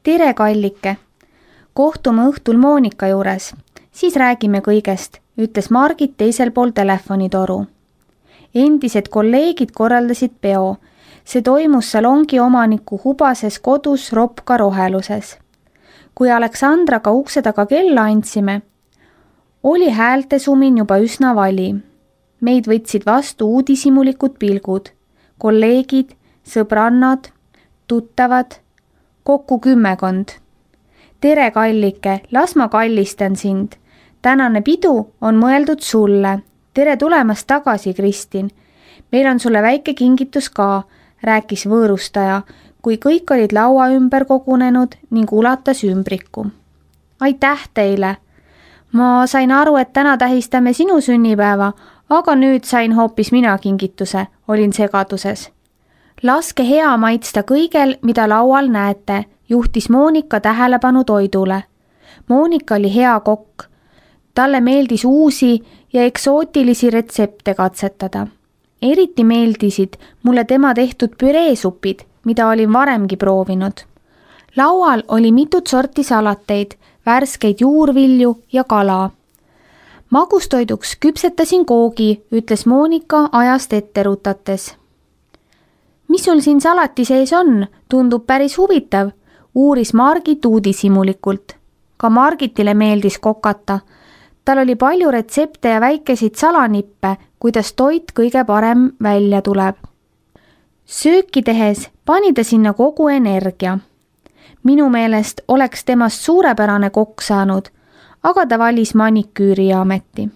Tere, kallike! Kohtume õhtul Monika juures, siis räägime kõigest, ütles Margit teisel pool telefonitoru. Endised kolleegid korraldasid peo. See toimus salongi omaniku hubases kodus Ropka roheluses. Kui Aleksandraga ukse taga kella andsime, oli häälte sumin juba üsna vali. Meid võtsid vastu uudishimulikud pilgud. Kolleegid, sõbrannad, tuttavad, kokku 10. Tere, kallike, las ma kallistan sind. Tänane pidu on mõeldud sulle. Tere tulemast tagasi, Kristin. Meil on sulle väike kingitus ka, rääkis võõrustaja, kui kõik olid laua ümber kogunenud ning ulatas ümbriku. Aitäh teile! Ma sain aru, et täna tähistame sinu sünnipäeva, aga nüüd sain hoopis mina kingituse, olin segaduses. Laske hea maitsta kõigel, mida laual näete, juhtis Monika tähelepanu toidule. Monika oli hea kokk. Talle meeldis uusi ja eksootilisi retsepte katsetada. Eriti meeldisid mulle tema tehtud püreesupid, mida olin varemgi proovinud. Laual oli mitut sorti salateid, värskeid juurvilju ja kala. Magustoiduks küpsetasin koogi, ütles Monika ajast ette rutates. Mis sul siin salati sees on? Tundub päris huvitav, uuris Margit uudishimulikult. Ka Margitile meeldis kokata. Tal oli palju retsepte ja väikesid salanippe, kuidas toit kõige parem välja tuleb. Sööki tehes pani ta sinna kogu energia. Minu meelest oleks temast suurepärane kokk saanud, aga ta valis maniküüri ameti.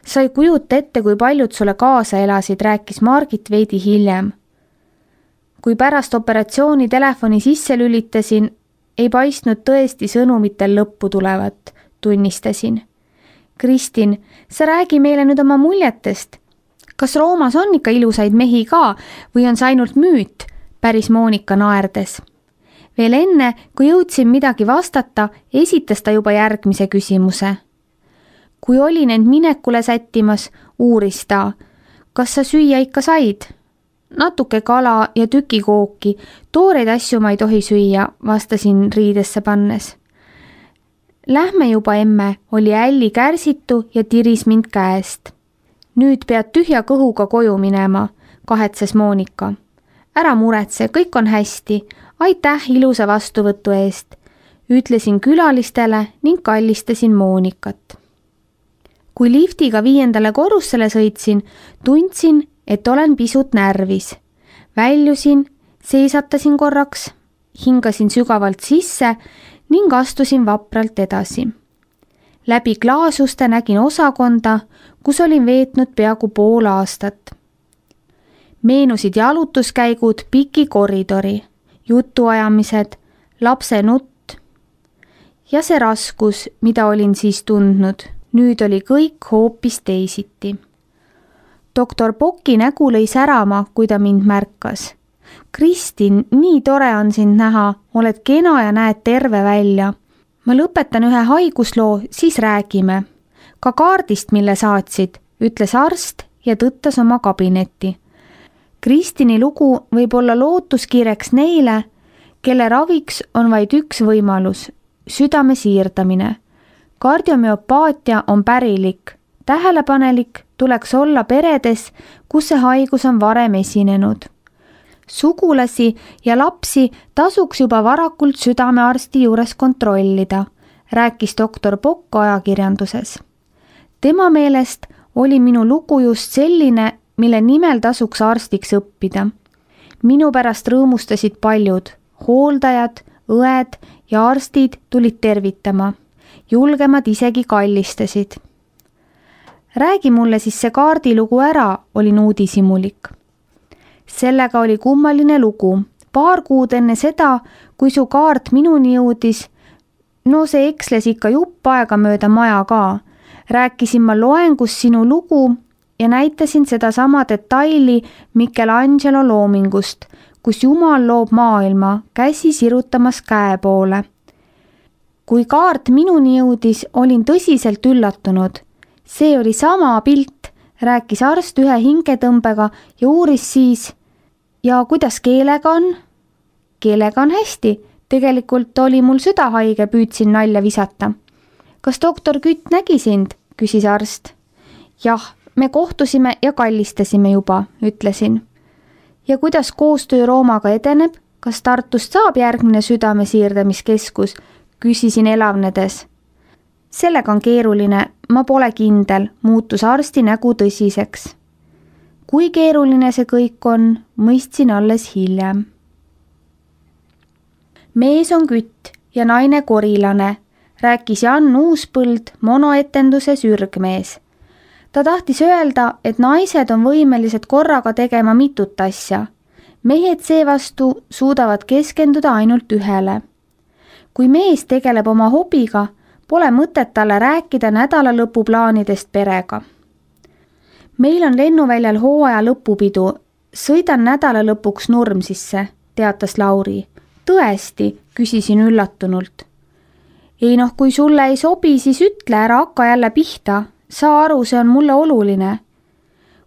Sa ei kujuta ette, kui paljud sulle kaasa elasid, rääkis Margit veidi hiljem. Kui pärast operatsiooni telefoni sisse lülitasin, ei paistnud tõesti sõnumitel lõppu tulevat, tunnistasin. Kristin, sa räägi meile nüüd oma muljetest. Kas Roomas on ikka ilusaid mehi ka või on see ainult müüt, päris Monika naerdes. Veel enne, kui jõudsin midagi vastata, esitas ta juba järgmise küsimuse. Kui olin end minekule sättimas, uuris ta, kas sa süüa ikka said? Natuke kala ja tükikooki, tooreid asju ma ei tohi süüa, vastasin riidesse pannes. Lähme juba, emme, oli Älli kärsitu ja tiris mind käest. Nüüd pead tühja kõhuga koju minema, kahetses Monika. Ära muretse, kõik on hästi, aitäh ilusa vastuvõtu eest, ütlesin külalistele ning kallistasin Monikat. Kui liftiga 5. korrusele sõitsin, tundsin, et olen pisut närvis. Väljusin, seisatasin korraks, hingasin sügavalt sisse ning astusin vapralt edasi. Läbi klaasuste nägin osakonda, kus olin veetnud peaaegu pool aastat. Meenusid jalutuskäigud piki koridori, jutuajamised, lapse nutt ja see raskus, mida olin siis tundnud. Nüüd oli kõik hoopis teisiti. Doktor Pocki nägu lõi särama, kui ta mind märkas. Kristin, nii tore on sind näha, oled kena ja näed terve välja. Ma lõpetan ühe haigusloo, siis räägime. Ka kaardist, mille saatsid, ütles arst ja tõttas oma kabinetti. Kristini lugu võib olla lootuskireks neile, kelle raviks on vaid üks võimalus, südame siirdamine. Kardiomüopaatia on pärilik, tähelepanelik tuleks olla peredes, kus see haigus on varem esinenud. Sugulasi ja lapsi tasuks juba varakult südamearsti juures kontrollida, rääkis doktor Pokk ajakirjanduses. Tema meelest oli minu lugu just selline, mille nimel tasuks arstiks õppida. Minu pärast rõõmustasid paljud, hooldajad, õed ja arstid tulid tervitama. Julgemad isegi kallistasid. Räägi mulle siis see kaardilugu ära, olin uudishimulik. Sellega oli kummaline lugu. Paar kuud enne seda, kui su kaart minuni jõudis, no see eksles ikka jupp aega mööda maja ka. Rääkisin ma loengus sinu lugu ja näitasin seda sama detaili Michelangelo loomingust, kus Jumal loob maailma, käsi sirutamas käe poole. Kui kaart minuni jõudis, olin tõsiselt üllatunud. See oli sama pilt, rääkis arst ühe hingetõmbega ja uuris siis, ja kuidas keelega on? Keelega on hästi, Tegelikult oli mul süda haige, püüdsin nalja visata. Kas doktor Kütt nägi sind? Küsis arst. Jah, me kohtusime ja kallistasime juba, ütlesin. Ja kuidas koostöö Roomaga edeneb? Kas Tartust saab järgmine südamesiirdamiskeskus? Küsisin elavnedes. Sellega on keeruline, ma pole kindel, muutus arsti nägu tõsiseks. Kui keeruline see kõik on, mõistsin alles hiljem. Mees on Kütt ja naine korilane, rääkis Jan Uuspõld monoetenduses ürgmees. Ta tahtis öelda, et naised on võimelised korraga tegema mitut asja. Mehed seevastu suudavad keskenduda ainult ühele. Kui mees tegeleb oma hobiga, pole mõtet talle rääkida nädalalõpuplaanidest perega. Meil on lennuväljal hooaja lõpupidu. Sõidan nädalalõpuks Nurmsisse, teatas Lauri. Tõesti, küsisin üllatunult. Ei kui sulle ei sobi, siis ütle, ära hakka jälle pihta. Saa aru, see on mulle oluline.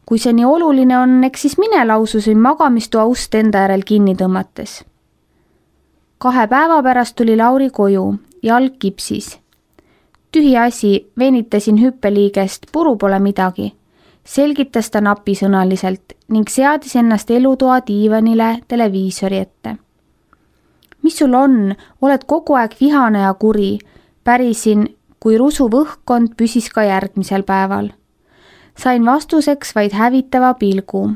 Kui see nii oluline on, eks siis mine, laususin magamistoa ust enda järel kinni tõmmates. 2 päeva pärast tuli Lauri koju, jalg kipsis. Tühi asi, venitasin hüppeliigest, puru pole midagi. Selgitas ta napisõnaliselt ning seadis ennast elutoa diivanile televiisori ette. Mis sul on? Oled kogu aeg vihane ja kuri. Pärisin, kui rusuv õhkkond püsis ka järgmisel päeval. Sain vastuseks vaid hävitava pilgu.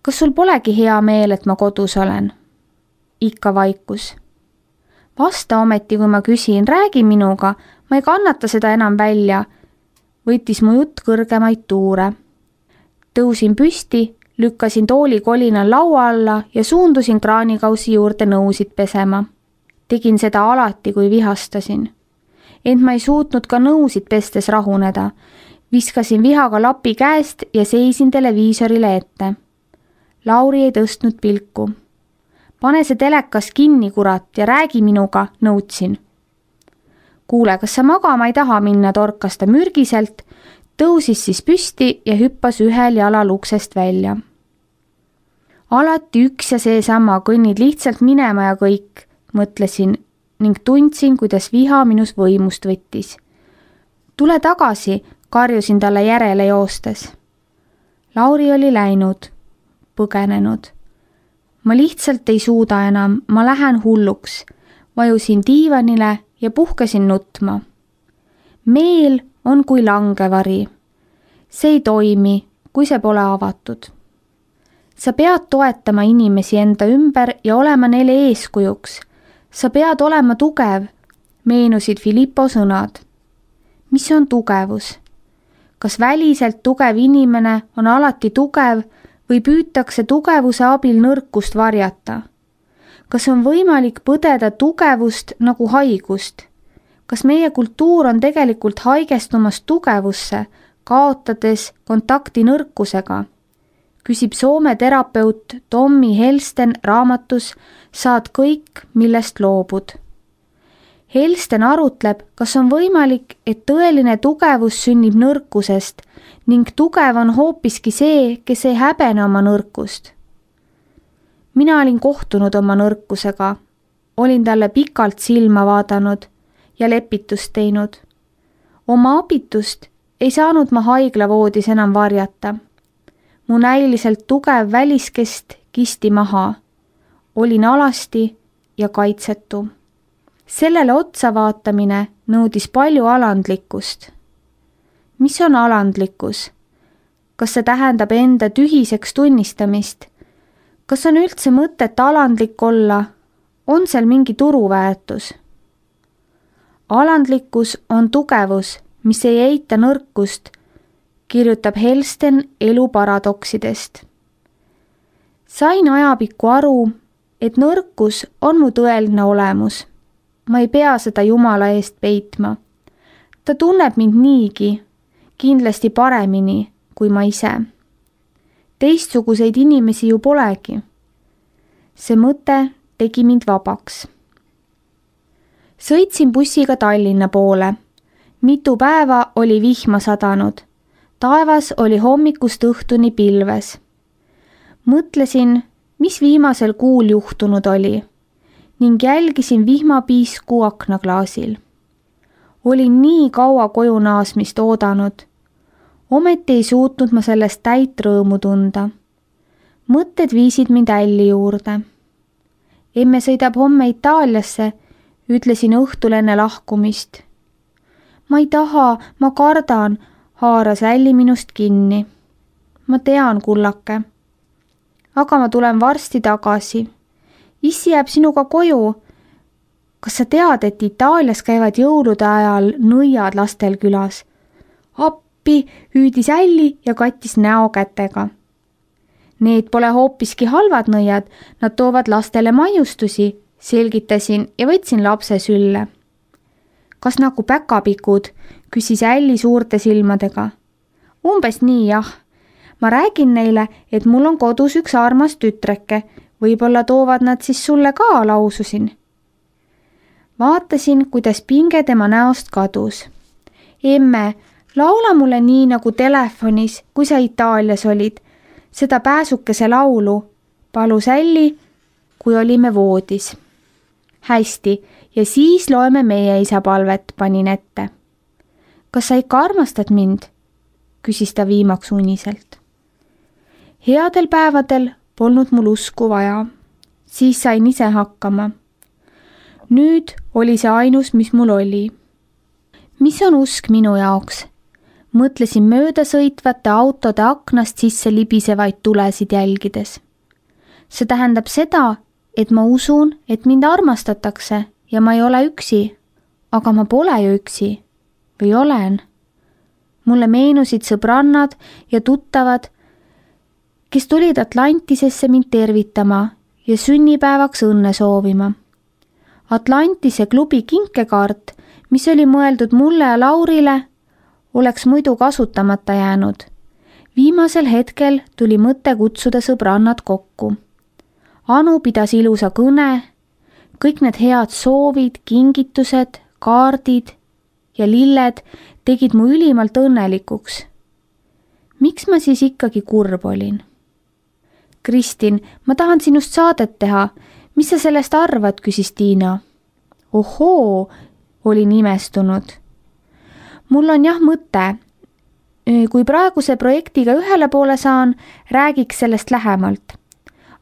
Kas sul polegi hea meel, et ma kodus olen? Ikka vaikus. Vasta ometi, kui ma küsin, räägi minuga, ma ei kannata seda enam välja. Võttis mu jutt kõrgemaid tuure. Tõusin püsti, lükkasin tooli kolinal laua alla ja suundusin kraanikausi juurde nõusid pesema. Tegin seda alati, kui vihastasin. Ent ma ei suutnud ka nõusid pestes rahuneda. Viskasin vihaga lapi käest ja seisin televiisorile ette. Lauri ei tõstnud pilku. Pane see telekas kinni, kurat, ja räägi minuga, nõudsin. Kuule, kas sa magama ei taha minna, torkas ta mürgiselt, tõusis siis püsti ja hüppas ühel jalal uksest välja. Alati üks ja seesama, kõnnid lihtsalt minema ja kõik, mõtlesin ning tundsin, kuidas viha minus võimust võttis. Tule tagasi, karjusin talle järele joostes. Lauri oli läinud, põgenenud. Ma lihtsalt ei suuda enam, ma lähen hulluks. Vajusin diivanile ja puhkesin nutma. Meel on kui langevari. See ei toimi, kui see pole avatud. Sa pead toetama inimesi enda ümber ja olema neile eeskujuks. Sa pead olema tugev, meenusid Filippo sõnad. Mis on tugevus? Kas väliselt tugev inimene on alati tugev või püütakse tugevuse abil nõrkust varjata? Kas on võimalik põdeda tugevust nagu haigust? Kas meie kultuur on tegelikult haigestumas tugevusse, kaotades kontakti nõrkusega? Küsib Soome terapeut Tommi Helsten raamatus Saad kõik, millest loobud. Helsten arutleb, kas on võimalik, et tõeline tugevus sünnib nõrkusest ning tugev on hoopiski see, kes ei häbene oma nõrkust. Mina olin kohtunud oma nõrkusega, olin talle pikalt silma vaadanud ja lepitust teinud. Oma abitust ei saanud ma haiglavoodis enam varjata. Mu näiliselt tugev väliskest kisti maha. Olin alasti ja kaitsetu. Sellele otsa vaatamine nõudis palju alandlikkust. Mis on alandlikkus? Kas see tähendab enda tühiseks tunnistamist? Kas on üldse mõtet alandlik olla? On seal mingi turuväärtus? Alandlikkus on tugevus, mis ei eita nõrkust, kirjutab Helsten elu paradoksidest. Sain ajapikku aru, et nõrkus on mu tõeline olemus. Ma ei pea seda Jumala eest peitma. Ta tunneb mind niigi, kindlasti paremini kui ma ise. Teistsuguseid inimesi ju polegi. See mõte tegi mind vabaks. Sõitsin bussiga Tallinna poole. Mitu päeva oli vihma sadanud. Taevas oli hommikust õhtuni pilves. Mõtlesin, mis viimasel kuul juhtunud oli. ning jälgisin vihmapiisku aknaklaasil. Olin nii kaua koju naasmist oodanud. Ometi ei suutnud ma sellest täit rõõmu tunda. Mõtted viisid mind Älli juurde. Emme sõidab homme Itaaliasse, ütlesin õhtul enne lahkumist. Ma ei taha, ma kardan, haaras Älli minust kinni. Ma tean, kullake. Aga ma tulen varsti tagasi. Issi jääb sinuga koju. Kas sa tead, et Itaalias käivad jõulude ajal nõiad lastel külas? Appi, hüüdis Älli ja kattis näo kätega. Need pole hoopiski halvad nõiad, nad toovad lastele maiustusi, selgitasin ja võtsin lapse sülle. Kas nagu päkapikud, küsis Älli suurte silmadega. Umbes nii, jah. Ma räägin neile, et mul on kodus üks armas tütreke, võib-olla toovad nad siis sulle ka, laususin. Vaatasin, kuidas pinge tema näost kadus. Emme, laula mulle nii nagu telefonis, kui sa Itaalias olid, seda pääsukese laulu, palus Älli, kui olime voodis. Hästi, ja siis loeme meie isa palvet, panin ette. Kas sa ikka armastad mind? Küsis ta viimaks uniselt. Headel päevadel polnud mul usku vaja. Siis sain ise hakkama. Nüüd oli see ainus, mis mul oli. Mis on usk minu jaoks? Mõtlesin mööda sõitvate autode aknast sisse libisevaid tulesid jälgides. See tähendab seda, et ma usun, et mind armastatakse ja ma ei ole üksi. Aga ma pole ju üksi. Või olen? Mulle meenusid sõbrannad ja tuttavad, kes tulid Atlantisesse mind tervitama ja sünnipäevaks õnne soovima. Atlantise klubi kinkekaart, mis oli mõeldud mulle ja Laurile, oleks muidu kasutamata jäänud. Viimasel hetkel tuli mõte kutsuda sõbrannad kokku. Anu pidas ilusa kõne, kõik need head soovid, kingitused, kaardid ja lilled tegid mu ülimalt õnnelikuks. Miks ma siis ikkagi kurb olin? Kristin, ma tahan sinust saadet teha. Mis sa sellest arvad, küsis Tiina. Ohoo, olin imestunud. Mul on jah mõte. Kui praeguse projektiga ühele poole saan, räägiks sellest lähemalt.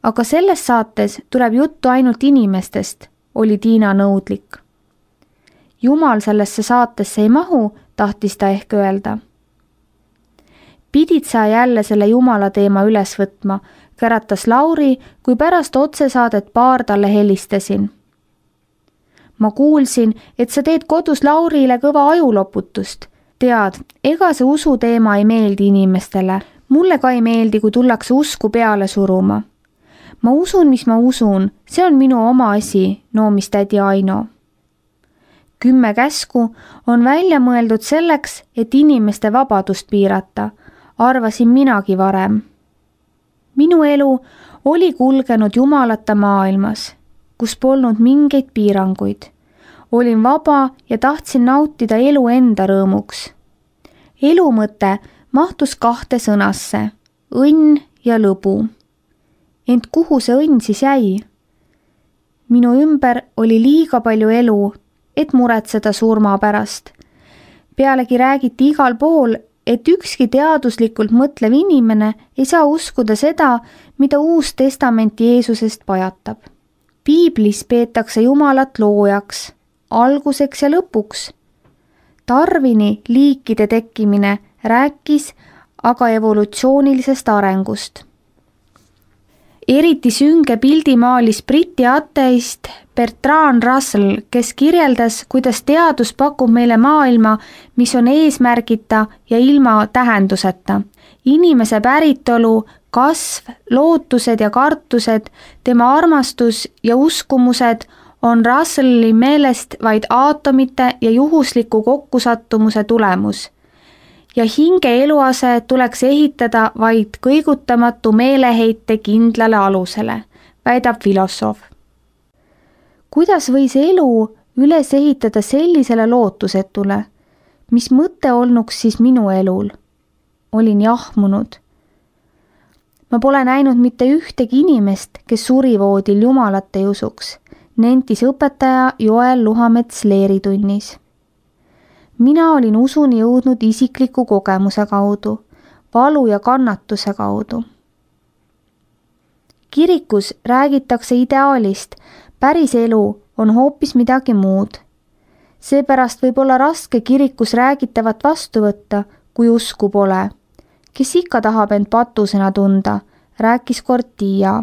Aga selles saates tuleb juttu ainult inimestest, oli Tiina nõudlik. Jumal sellesse saatesse ei mahu, tahtis ta ehk öelda. Pidid sa jälle selle Jumala teema üles võtma, käratas Lauri, kui pärast otsesaadet paar talle helistasin. Ma kuulsin, et sa teed kodus Laurile kõva ajuloputust. Tead, ega see usu teema ei meeldi inimestele. Mulle ka ei meeldi, kui tullakse usku peale suruma. Ma usun, mis ma usun, see on minu oma asi, noomis tädi Aino. 10 käsku on välja mõeldud selleks, et inimeste vabadust piirata, arvasin minagi varem. Minu elu oli kulgenud jumalata maailmas, kus polnud mingeid piiranguid. Olin vaba ja tahtsin nautida elu enda rõõmuks. Elu mõte mahtus 2 sõnasse, õnn ja lõbu. Ent kuhu see õnn siis jäi? Minu ümber oli liiga palju elu, et muretseda surma pärast. Pealegi räägiti igal pool, et ükski teaduslikult mõtlev inimene ei saa uskuda seda, mida Uus Testament Jeesusest pajatab. Piiblis peetakse Jumalat loojaks, alguseks ja lõpuks. Darwini liikide tekkimine rääkis aga evolutsioonilisest arengust. Eriti sünge pildi maalis Briti ateist Bertrand Russell, kes kirjeldas, kuidas teadus pakub meile maailma, mis on eesmärgita ja ilma tähenduseta. Inimese päritolu, kasv, lootused ja kartused, tema armastus ja uskumused on Russelli meelest vaid aatomite ja juhusliku kokkusattumuse tulemus. Ja hinge eluase tuleks ehitada vaid kõigutamatu meeleheite kindlale alusele, väidab filosoof. Kuidas võis elu üles ehitada sellisele lootusetule? Mis mõte olnuks siis minu elul? Olin jahmunud. Ma pole näinud mitte ühtegi inimest, kes surivoodil Jumalat ei usuks. nentis õpetaja Joel Luhamets leeritunnis. Mina olin usuni jõudnud isikliku kogemuse kaudu, valu ja kannatuse kaudu. Kirikus räägitakse ideaalist, päris elu on hoopis midagi muud. Seepärast võib olla raske kirikus räägitavat vastu võtta, kui usku pole. Kes ikka tahab end patusena tunda, rääkis kord Tiia.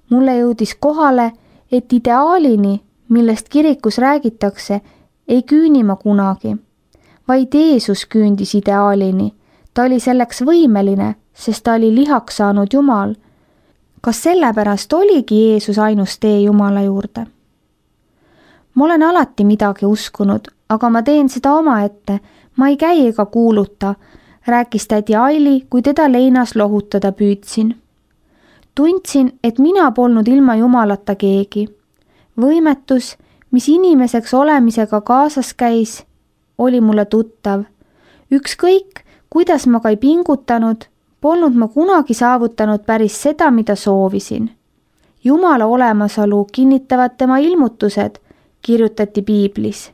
Mulle jõudis kohale, et ideaalini, millest kirikus räägitakse, ei küüni ma kunagi. Vaid Jeesus küündis ideaalini. Ta oli selleks võimeline, sest ta oli lihaks saanud Jumal. Kas sellepärast oligi Jeesus ainus tee Jumala juurde? Ma olen alati midagi uskunud, aga ma teen seda omaette. Ma ei käi ega kuuluta, rääkis tädi Aili, kui teda leinas lohutada püüdsin. Tundsin, et mina polnud ilma Jumalata keegi. Võimetus, mis inimeseks olemisega kaasas käis, oli mulle tuttav. Ükskõik, kuidas ma ka ei pingutanud, polnud ma kunagi saavutanud päris seda, mida soovisin. Jumala olemasolu kinnitavad tema ilmutused, kirjutati piiblis.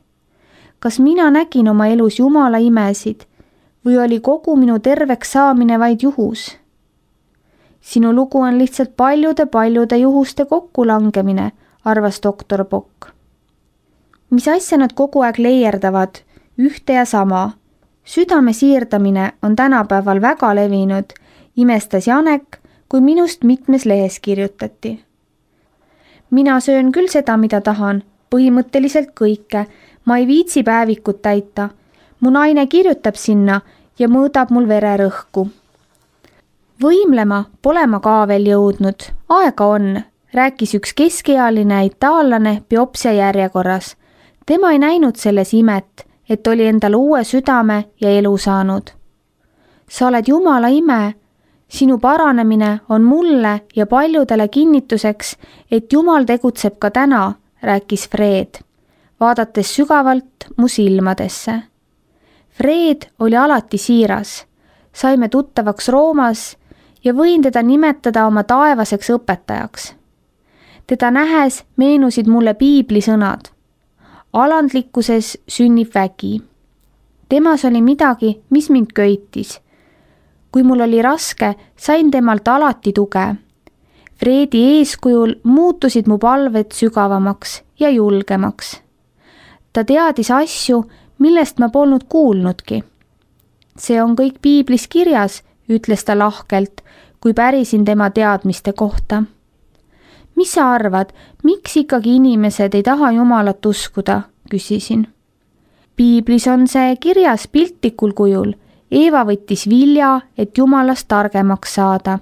Kas mina nägin oma elus Jumala imesid või oli kogu minu terveks saamine vaid juhus? Sinu lugu on lihtsalt paljude juhuste kokkulangemine, arvas doktor Pokk. Mis asja nad kogu aeg leierdavad, ühte ja sama. Südame siirdamine on tänapäeval väga levinud, imestas Janek, kui minust mitmes lehes kirjutati. Mina söön küll seda, mida tahan, põhimõtteliselt kõike, ma ei viitsi päevikut täita. Mu naine kirjutab sinna ja mõõdab mul vererõhku. Võimlema pole ma ka veel jõudnud, aega on, rääkis üks keskealine itaallane biopsia järjekorras. Tema ei näinud selles imet, et oli endale uue südame ja elu saanud. Sa oled Jumala ime, sinu paranemine on mulle ja paljudele kinnituseks, et Jumal tegutseb ka täna, rääkis Fred, vaadates sügavalt mu silmadesse. Fred oli alati siiras, saime tuttavaks Roomas ja võin teda nimetada oma taevaseks õpetajaks. Teda nähes meenusid mulle piibli sõnad. Alandlikkuses sünnib vägi. Temas oli midagi, mis mind köitis. Kui mul oli raske, sain temalt alati tuge. Fredi eeskujul muutusid mu palved sügavamaks ja julgemaks. Ta teadis asju, millest ma polnud kuulnudki. See on kõik piiblis kirjas, ütles ta lahkelt, kui pärisin tema teadmiste kohta. Mis sa arvad, miks ikkagi inimesed ei taha Jumalat uskuda, küsisin. Piiblis on see kirjas piltlikul kujul. Eeva võttis vilja, et Jumalast targemaks saada.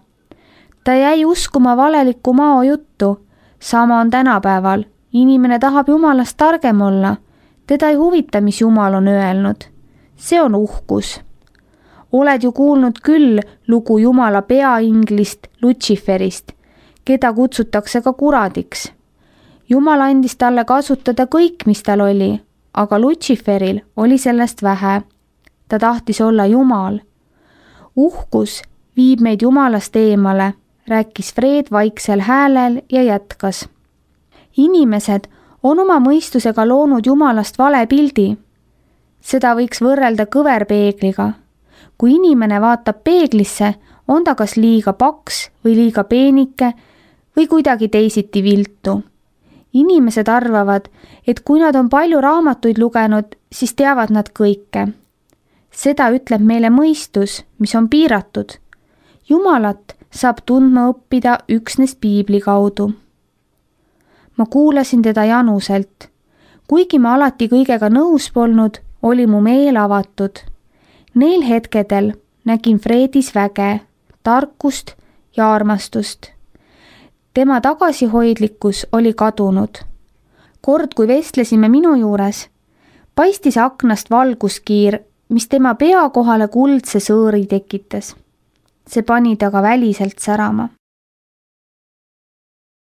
Ta jäi uskuma valelikku mao juttu. Sama on tänapäeval. Inimene tahab Jumalast targem olla. Teda ei huvita, mis Jumal on öelnud. See on uhkus. Oled ju kuulnud küll lugu Jumala peainglist Lutsiferist, keda kutsutakse ka kuradiks. Jumal andis talle kasutada kõik, mis tal oli, aga Lutsiferil oli sellest vähe. Ta tahtis olla Jumal. Uhkus viib meid Jumalast eemale, rääkis Fred vaiksel häälel ja jätkas. Inimesed on oma mõistusega loonud Jumalast vale pildi. Seda võiks võrrelda kõverpeegliga. Kui inimene vaatab peeglisse, on ta kas liiga paks või liiga peenike või kuidagi teisiti viltu. Inimesed arvavad, et kui nad on palju raamatuid lugenud, siis teavad nad kõike. Seda ütleb meile mõistus, mis on piiratud. Jumalat saab tundma õppida üksnes piibli kaudu. Ma kuulasin teda januselt. Kuigi ma alati kõigega nõus polnud, oli mu meel avatud. Neil hetkedel nägin Fredis väge, tarkust ja armastust. Tema tagasihoidlikkus oli kadunud. Kord, kui vestlesime minu juures, paistis aknast valguskiir, mis tema pea kohale kuldse sõõri tekitas. See pani ta ka väliselt särama.